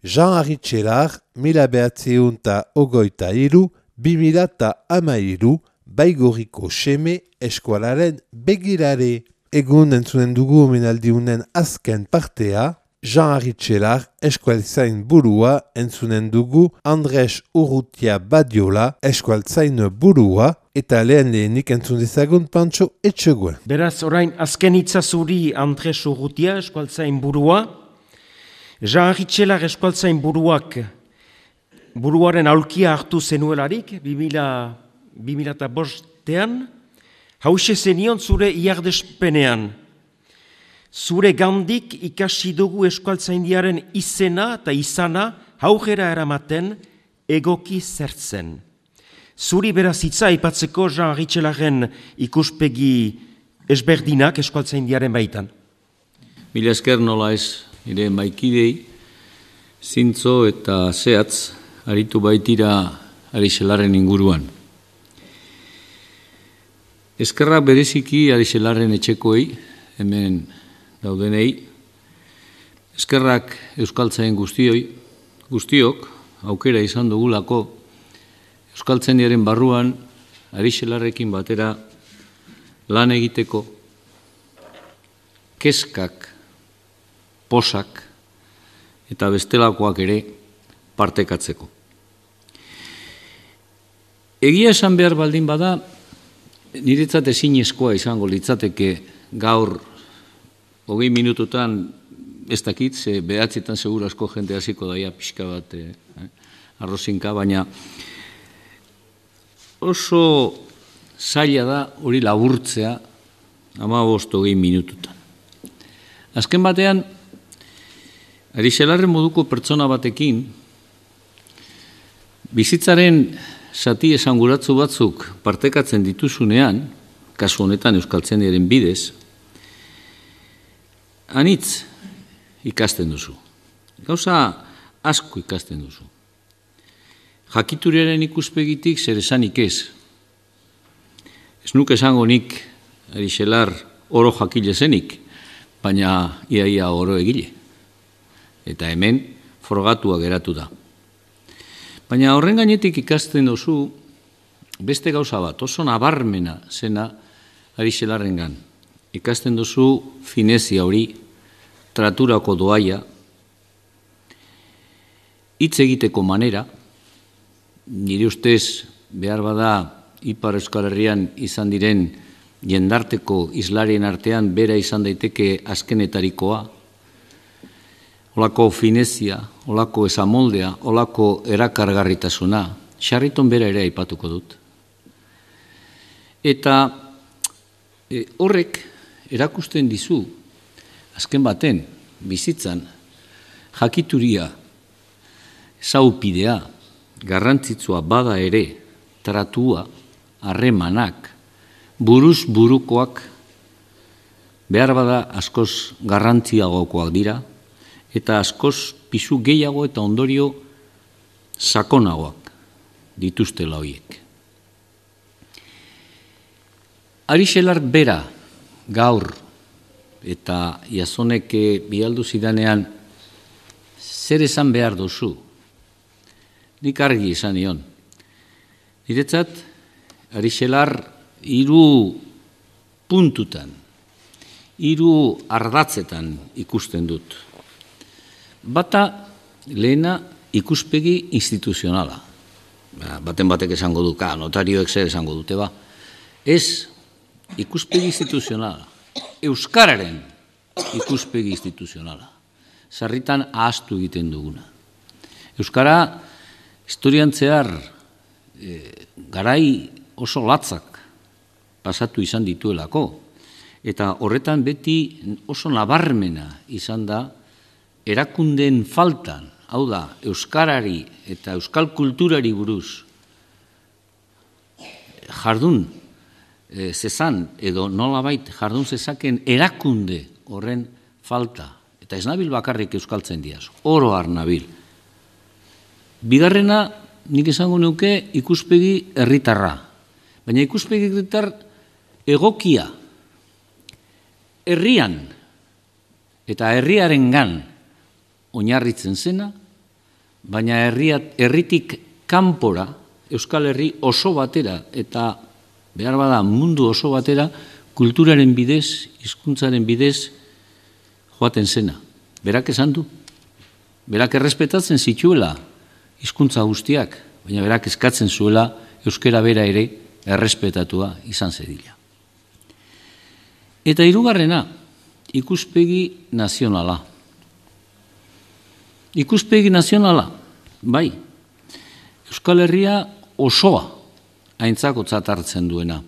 Jean-Henri Txelar, 1923-2013, Baigorriko Seme eskualaren begirare. Egun entzunen dugu omenaldiunen azken partea, Jean-Henri Txelar eskualtzain burua entzunen dugu Andres Urrutia Badiola eskualtzain burua eta lehenik entzun dezagun Pantxo Etxegoen. Beraz, orain azken itzazuri Andres Urrutia eskualtzain burua, Jean-Henri Txelar eskualtzain buruaren aulkia hartu zenuelarik, 2005-ean, hause zenion zure iardespenean. Zure gandik ikasi dugu eskualtzaindiaren izena eta izana haugera eramaten egoki zertzen. Zuri beraz hitza aipatzeko Jean-Henri Txelaren ikuspegi ezberdinak eskualtzaindiaren baitan. Mila esker nola ez, nire maikidei, zintzo eta zehatz, aritu baitira Arixelaren inguruan. Eskerrak bereziki Arixelaren etxekoei, hemen daudenei, eskerrak euskaltzain guztiok, aukera izan dugulako, euskaltzaindiaren barruan Arixelarrekin batera lan egiteko, kezkak, posak eta bestelakoak ere partekatzeko. Egia esan behar baldin bada, niretzat ezinezkoa izango litzateke gaur 20 minututan ez dakit, ze 9 seguru asko jende hasiko daia pixka bat arrozinka, baina oso zaila da hori laburtzea 15-20 minututan. Azken batean, Arixelarren moduko pertsona batekin, bizitzaren zati esanguratsu batzuk partekatzen dituzunean, kasu honetan euskaltzaindiaren bidez, anitz ikasten duzu. Gauza asko ikasten duzu. Jakituriaren ikuspegitik zer esanik ez. Ez nuke esango nik Arixelar oro jakile zenik, baina iaia oro egile. Eta hemen frogatua geratu da. Baina horren gainetik ikasten duzu beste gauza bat, oso nabarmena zena Arixelarrengan. Ikasten duzu finezia hori, traturako doaia, hitz egiteko manera, nire ustez behar bada Ipar Euskal Herrian izan diren jendarteko islarien artean bera izan daiteke azkenetarikoa, olako finezia, olako esamoldea, olako erakargarritasuna, Sarriton bera ere aipatuko dut. Eta horrek erakusten dizu, azken baten, bizitzan, jakituria, zaupidea, garrantzitsua bada ere, tratua, harremanak, buruz burukoak, behar bada askoz garrantziagokoak dira, eta askoz pisu gehiago eta ondorio sakonagoak dituztela horiek. Arixelar bera gaur eta Iazonek bialdu zidanean zer esan behar duzu, nik argi esan nion. Niretzat, Arixelar 3 puntutan, 3 ardatzetan ikusten dut. Bata, lehena ikuspegi instituzionala. Baten batek esango du, notarioek zer esango dute ba. Ez, ikuspegi instituzionala. Euskararen ikuspegi instituzionala. Sarritan ahaztu egiten duguna. Euskara, historian zehar, garai oso latzak pasatu izan dituelako. Eta horretan beti oso nabarmena izan da erakundeen faltan, hau da, euskarari eta euskal kulturari buruz jardun zezan edo nolabait jardun zezaken erakunde horren falta. Eta ez nabil bakarrik euskaltzaindiaz, oro har nabil. Bigarrena, nik esango nuke ikuspegi herritarra. Baina ikuspegi herritar egokia, herrian eta herriarengan oinarritzen zena baina herritik kanpora, Euskal Herri oso batera eta behar bada mundu oso batera, kulturaren bidez, hizkuntzaren bidez joaten zena. Berak esan du. Berak errespetatzen zituela hizkuntza guztiak, baina berak eskatzen zuela euskera bera ere errespetatua izan zedila. Eta hirugarrena, ikuspegi nazionala. Ikuspegi nazionala, bai, Euskal Herria osoa aintzakotzat hartzen duena.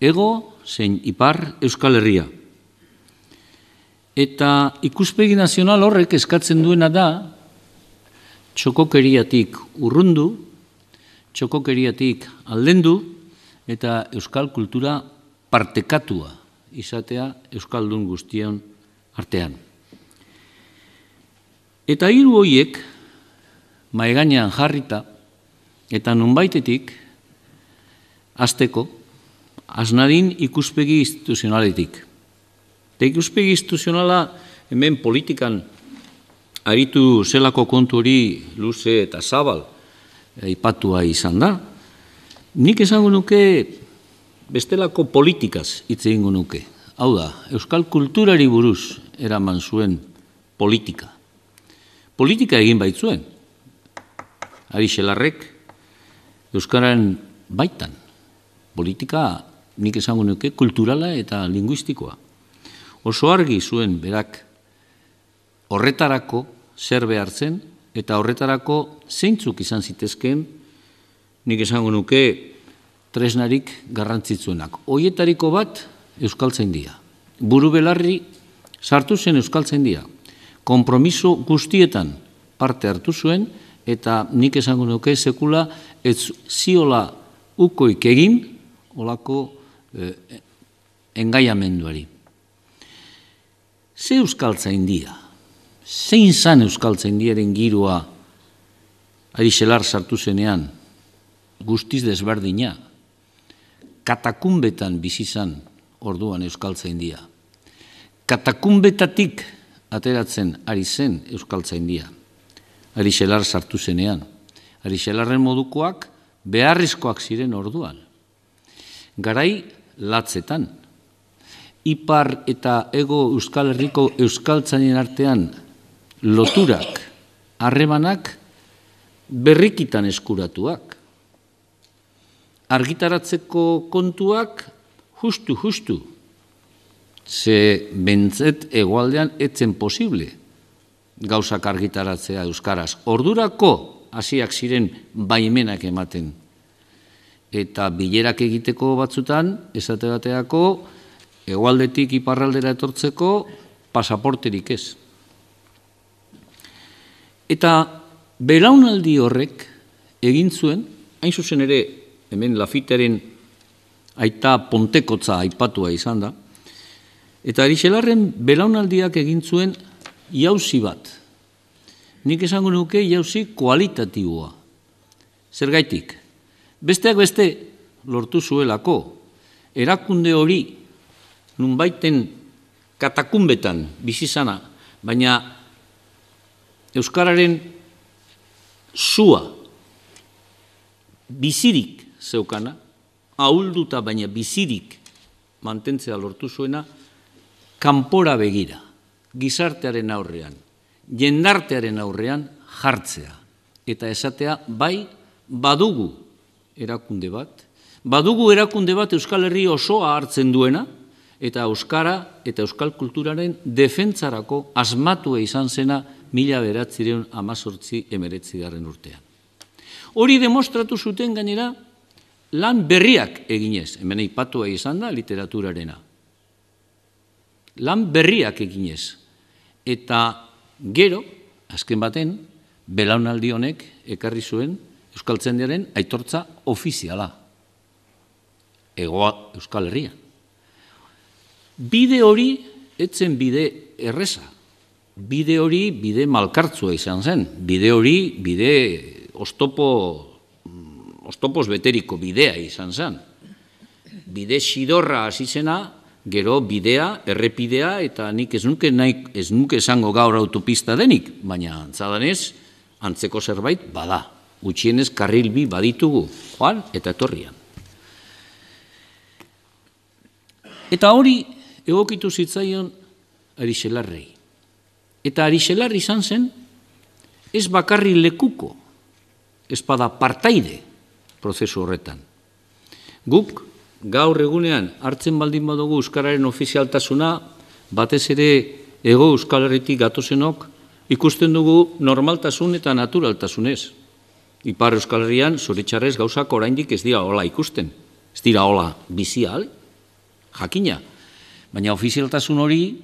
Ego zein ipar Euskal Herria. Eta ikuspegi nazional horrek eskatzen duena da txokokeriatik urrundu, txokokeriatik aldendu eta euskal kultura partekatua izatea euskaldun guztion artean. Eta hiru horiek mahaigainean jarrita eta nonbaitetik hasteko hasnadin ikuspegi instituzionaletik. Eta ikuspegi instituzionala hemen politikan aritu zelako kontu hori luze eta zabal aipatua izan da. Nik esango nuke bestelako politikaz hitz egingo nuke. Hau da, euskal kulturari buruz eraman zuen politika. Politika egin baitzuen. Ari Xelarrek euskararen baitan. Politika nik esango nuke kulturala eta linguistikoa. Oso argi zuen berak horretarako zer behar zen eta horretarako zeintzuk izan zitezkeen nik esango nuke tresnarik garrantzitsuenak. Hoietariko bat euskaltzaindia. Buru belarri sartu zen euskaltzaindia. Konpromiso guztietan parte hartu zuen eta nik esango nuke sekula ez ziola ukoik egin olako engaiamenduari. Ze euskaltzaindia? Zein zan euskaltzaindiaren giroa Ari Xelar sartu zenean? Guztiz desberdina. Katakunbetan bizi zan orduan euskaltzaindia. Katakunbetatik ateratzen ari zen euskaltzaindia. Ari Xelar sartu zenean. Ari Xelarren modukoak beharrezkoak ziren orduan. Garai latzetan. Ipar eta ego Euskal Herriko euskaltzainen artean loturak, harremanak berrikitan eskuratuak. Argitaratzeko kontuak justu. Ze bentzet egoaldean etzen posible gauzak argitaratzea euskaraz. Ordurako hasiak ziren baimenak ematen. Eta bilerak egiteko batzutan, esate bateako, hegoaldetik iparraldera etortzeko pasaporterik ez. Eta belaunaldi horrek egin zuen, hain zuzen ere, hemen Lafiteren aita Pontekotza aipatua izan da, eta Ari Xelarren belaunaldiak egin zuen jauzi bat. Nik esango nuke jauzi kualitatiboa. Zergaitik? Besteak beste lortu zuelako, erakunde hori nunbaiten katakunbetan bizizana, baina euskararen zua bizirik zeukana, ahulduta baina bizirik mantentzea lortu zuena, kanpora begira, gizartearen aurrean, jendartearen aurrean jartzea. Eta esatea, bai, badugu erakunde bat Euskal Herri osoa hartzen duena, eta euskara eta euskal kulturaren defentsarako asmatua izan zena 1918 urtean. Hori demostratu zuten gainera lan berriak eginez, hemen aipatua izan da literaturarena. Lan berriak eginez. Eta gero, azken baten, belaunaldi honek ekarri zuen euskaltzaindiaren aitortza ofiziala. Hegoa Euskal Herrian. Bide hori etzen bide erreza. Bide hori bide malkartzua izan zen. Bide hori bide oztopoz beteriko bidea izan zen. Bide xidorra hasi zena, gero bidea, errepidea, eta nik ez nuke esango gaur autopista denik, baina antzadanez, antzeko zerbait bada. Gutxienez karril bi baditugu, joan eta etorrian. Eta hori egokitu zitzaion Arixelarrei. Eta Arixelar izan zen, ez bakarri lekuko, ez bada partaide prozesu horretan. Guk gaur egunean hartzen baldin badugu euskararen ofizialtasuna, batez ere Hego Euskal Herritik gatozenok ikusten dugu normaltasun eta naturaltasunez. Ipar Euskal Herrian zoritxarrez gauzak oraindik ez dira hola ikusten. Ez dira hola bizial, jakina. Baina ofizialtasun hori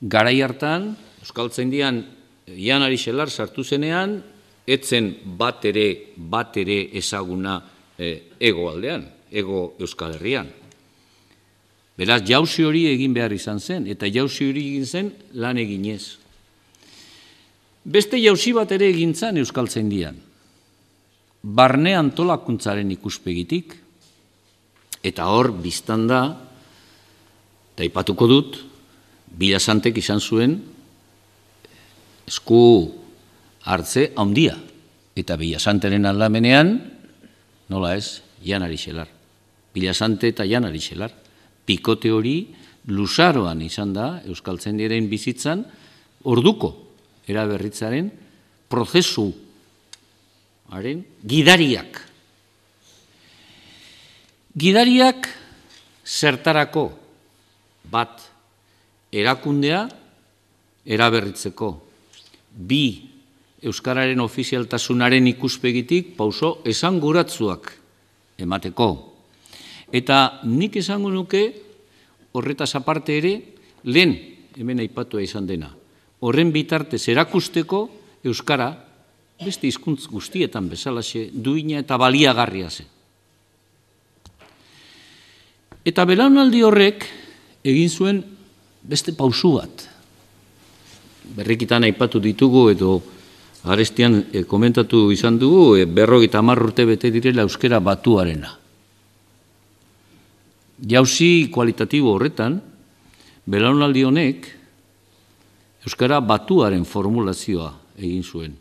garai hartan Euskaltzaindian Jan Arixelar sartu zenean, etzen bat ere ezaguna Hego aldean, Hego Euskal Herrian. Beraz, jauzi hori egin behar izan zen, eta jauzi hori egin zen lan eginez. Beste jauzi bat ere egin zen Euskaltzaindian. Barne antolakuntzaren ikuspegitik, eta hor biztan da, eta aipatuko dut, Bilasantek izan zuen esku hartze handia. Eta Bilasanteren aldamenean, nola ez, Jan Arixelar. Bilasante eta Jan Arixelar. Pikote hori luzaroan izan da Euskaltzaindiaren bizitzan orduko eraberritzaren prozesuaren gidariak. Gidariak zertarako bat erakundea eraberritzeko, bi euskararen ofizialtasunaren ikuspegitik pauso esanguratsuak emateko. Eta nik esango nuke horretaz aparte ere, lehen hemen aipatua izan dena, horren bitartez erakusteko euskara beste hizkuntz guztietan bezalaxe duina eta baliagarria zen. Eta belaunaldi horrek egin zuen beste pausu bat. Berrikitan aipatu ditugu edo arestian komentatu izan dugu 50 urte bete direla euskara batuarena. Jauzi kualitatibo horretan, belaunaldi honek euskara batuaren formulazioa egin zuen.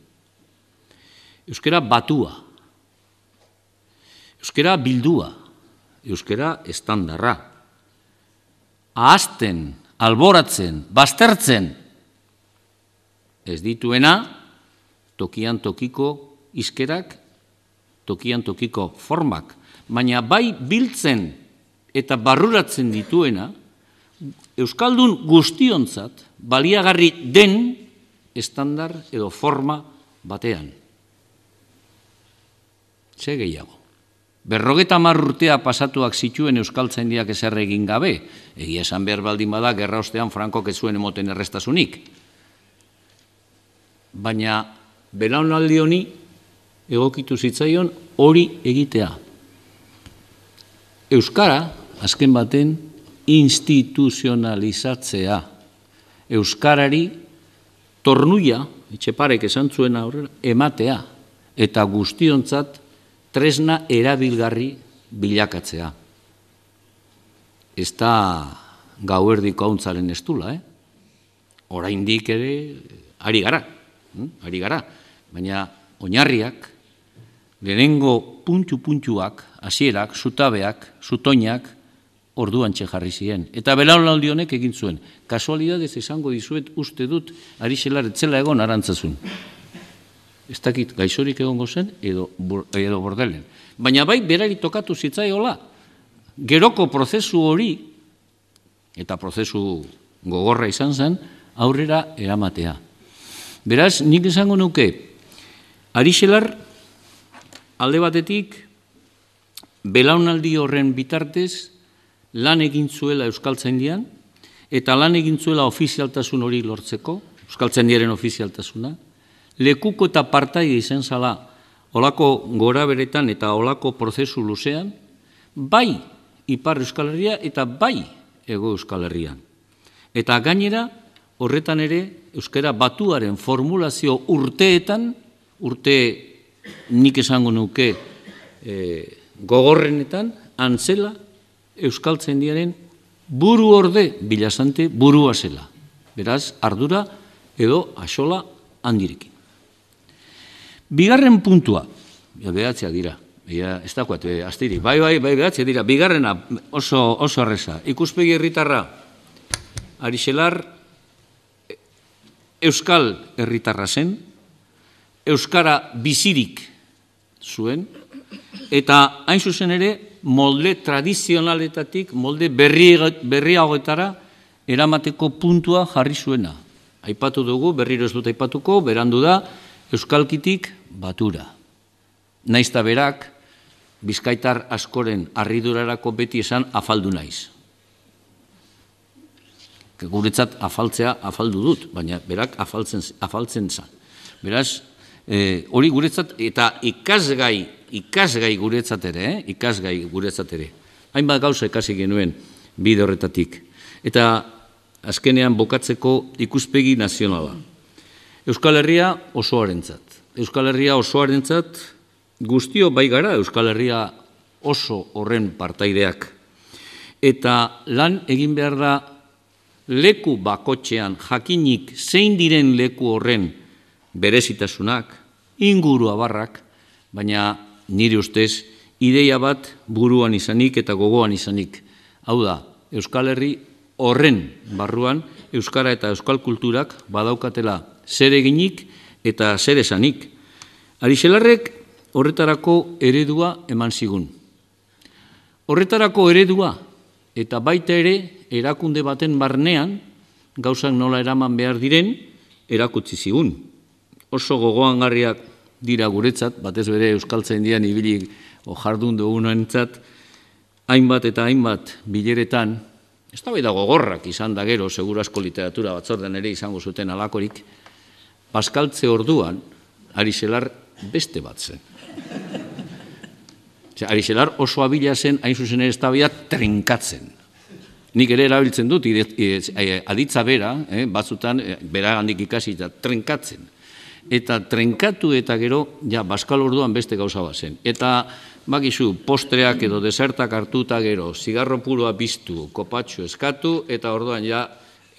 Euskara batua, euskara bildua, euskara estandarra. Ahazten, alboratzen, baztertzen, ez dituena, tokian tokiko hizkerak, tokian tokiko formak, baina bai biltzen eta barruratzen dituena, euskaldun guztiontzat baliagarri den estandar edo forma batean. Ze gehiago. 50 urtea pasatuak zituen Euskaltzaindiak ezer egin gabe, egia esan behar baldin bada, gerra ostean Frankok ez zuen emoten errestasunik. Baina belaunaldi honi egokitu zitzaion hori egitea. Euskara, azken baten, instituzionalizatzea. Euskarari tornuia, etxeparek esan zuen aurrera, ematea, eta guztiontzat tresna erabilgarri bilakatzea. Ez da gauerdiko hauntzaren estula, oraindik ere ari gara, baina oinarriak, lehenengo puntu-puntuak, hasierak, zutabeak, zutoinak, orduan jarri ziren. Eta belaunaldi honek egin zuen. Kasualidadez esango dizuet uste dut Arixelar etzela egon Arantzazun. Ez dakit gaixorik egongo zen edo bordelen. Baina bai berari tokatu zitzaiola. Geroko prozesu hori, eta prozesu gogorra izan zen, aurrera eramatea. Beraz, nik esango nuke, Arixelar alde batetik belaunaldi horren bitartez lan egin zuela Euskaltzaindian, eta lan egin zuela ofizialtasun hori lortzeko, Euskaltzaindiaren ofizialtasuna, lekuko eta partaide izan zala olako gora beretan eta olako prozesu luzean, bai Ipar Euskal Herria eta bai Hego Euskal Herrian. Eta gainera, horretan ere, euskara batuaren formulazio urteetan, urte nik esango nuke gogorrenetan, antzela Euskaltzaindiaren buru orde Bilasante burua zela. Beraz, ardura edo axola handirekin. Bigarren puntua, behatziak dira, ez dagoat, astirik, bai, behatziak dira, bigarrena oso arreza. Ikuspegi herritarra, Arixelar, euskal herritarra zen, euskara bizirik zuen, eta hain zuzen ere, molde tradizionaletatik, molde berriagoetara eramateko puntua jarri zuena. Aipatu dugu, berriro ez dut aipatuko, berandu da, euskalkitik batura. Naizta berak, bizkaitar askoren harridurarako beti esan afaldu naiz. Guretzat afaltzea afaldu dut, baina berak afaltzen zan. Beraz, hori guretzat, eta ikasgai guretzat ere, hainbat gauza ikasi genuen bide horretatik. Eta azkenean bokatzeko ikuspegi nazionala. Euskal Herria osoarentzat, guztio bai gara Euskal Herria oso horren partaideak. Eta lan egin behar da leku bakotxean jakinik zein diren leku horren berezitasunak, inguru abarrak, baina nire ustez ideia bat buruan izanik eta gogoan izanik. Hau da, Euskal Herri horren barruan euskara eta euskal kulturak badaukatela zer eginik eta zer esanik. Arixelarrek horretarako eredua eman zigun. Horretarako eredua eta baita ere erakunde baten barnean gauzak nola eraman behar diren erakutsi zigun. Oso gogoangarriak dira guretzat, batez bere euskaltzaindian ibili jardun dugunentzat, hainbat eta hainbat bileretan, eztabaida gogorrak izan da gero, seguru asko literatura batzordean ere izango zuten alakorik, Paskaltze orduan, Arixelar beste bat zen. Arixelar oso abila zen, hain zuzen ere eztabaida trenkatzen. Nik ere erabiltzen dut, aditza bera, batzutan, bera handik ikasi eta trenkatzen. Eta trenkatu eta gero, ja, Paskal orduan beste gauza bat zen. Eta, bakizu, postreak edo desertak hartuta gero, zigarro puroa biztu, kopatxo eskatu, eta orduan ja,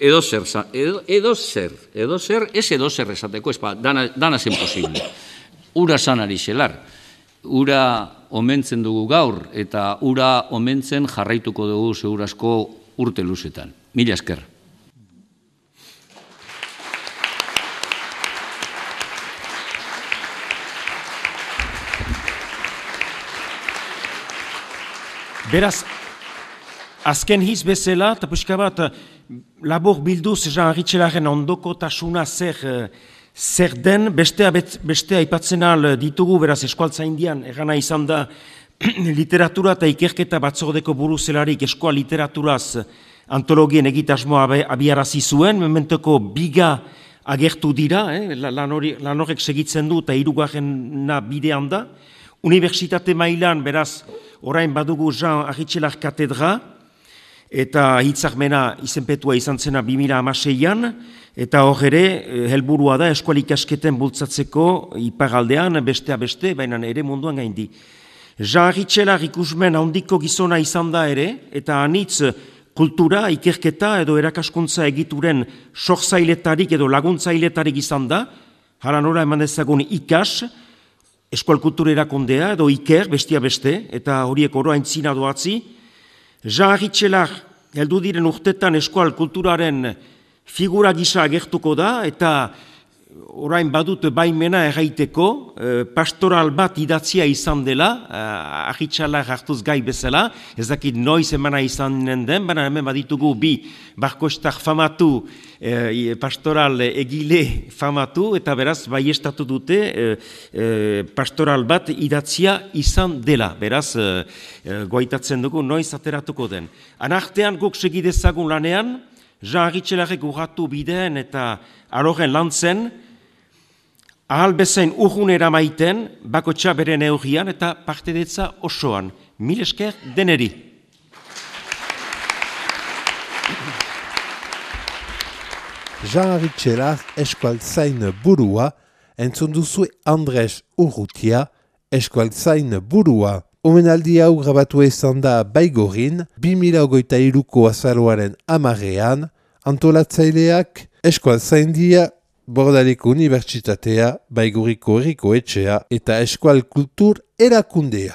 edozer, ez edozer esateko, dana zen posible. Ura zan Arixelar, ura omentzen dugu gaur, eta ura omentzen jarraituko dugu segurazko urte luzetan. Mila esker. Beraz, azken hiz bezala, eta puska bat, labor bilduz Jean Arixelaren ondokotasuna zer den, bestea aipatzen al ditugu, beraz, eskualtzaindian, egana izan da, literatura eta ikerketa batzordeko buruzelarik eskual literaturaz antologien egitasmoa abiarazi zuen, mementoko biga agertu dira, lan horrek segitzen du eta hirugarrena bidean da. Unibertsitate mailan, beraz, orain badugu Jean Arixelar katedra, eta hitzarmena izenpetua izan zena 2016an, eta hor ere, helburua da eskual ikasketen bultzatzeko iparaldean, bestea beste, baina ere munduan gaindi. Jean Arixelar ikusmen handiko gizona izan da ere, eta anitz kultura, ikerketa edo erakaskuntza egituren sortzailetarik edo laguntzailetarik izan da, hala nora eman dezagun ikas, eskual kultura erakundea edo iker, bestia beste, eta horiek oro aintzina doatzi. Jean Arixelar heldu diren urtetan eskual kulturaren figura gisa agertuko da, eta orain badut baimena erraiteko, pastoral bat idatzia izan dela, Arixelar hartuz gai bezala, ez dakit noiz emana izanen den, baina hemen baditugu bi barkostar famatu, pastoral egile famatu, eta beraz baiestatu dute pastoral bat idatzia izan dela, beraz goaitatzen dugu noiz ateratuko den. Anartean guk segidezagun lanean, Jean Arixelarek urratu bideen eta aloren lantzen, ahal bezain urrunera maiten, bakotxa bere neurrian eta partedetza osoan. Mil esker deneri. Jean Arixelar eskualtzain burua, entzun duzu Andres Urrutia eskualtzain burua. Omenaldi hau grabatu izan da Baigorin, 2023ko azaroaren 10ean, antolatzaileak eskualtzaindia Bordaliko Unibertsitatea, Baigorriko Herriko Etxea eta Eskual Kultur erakundea.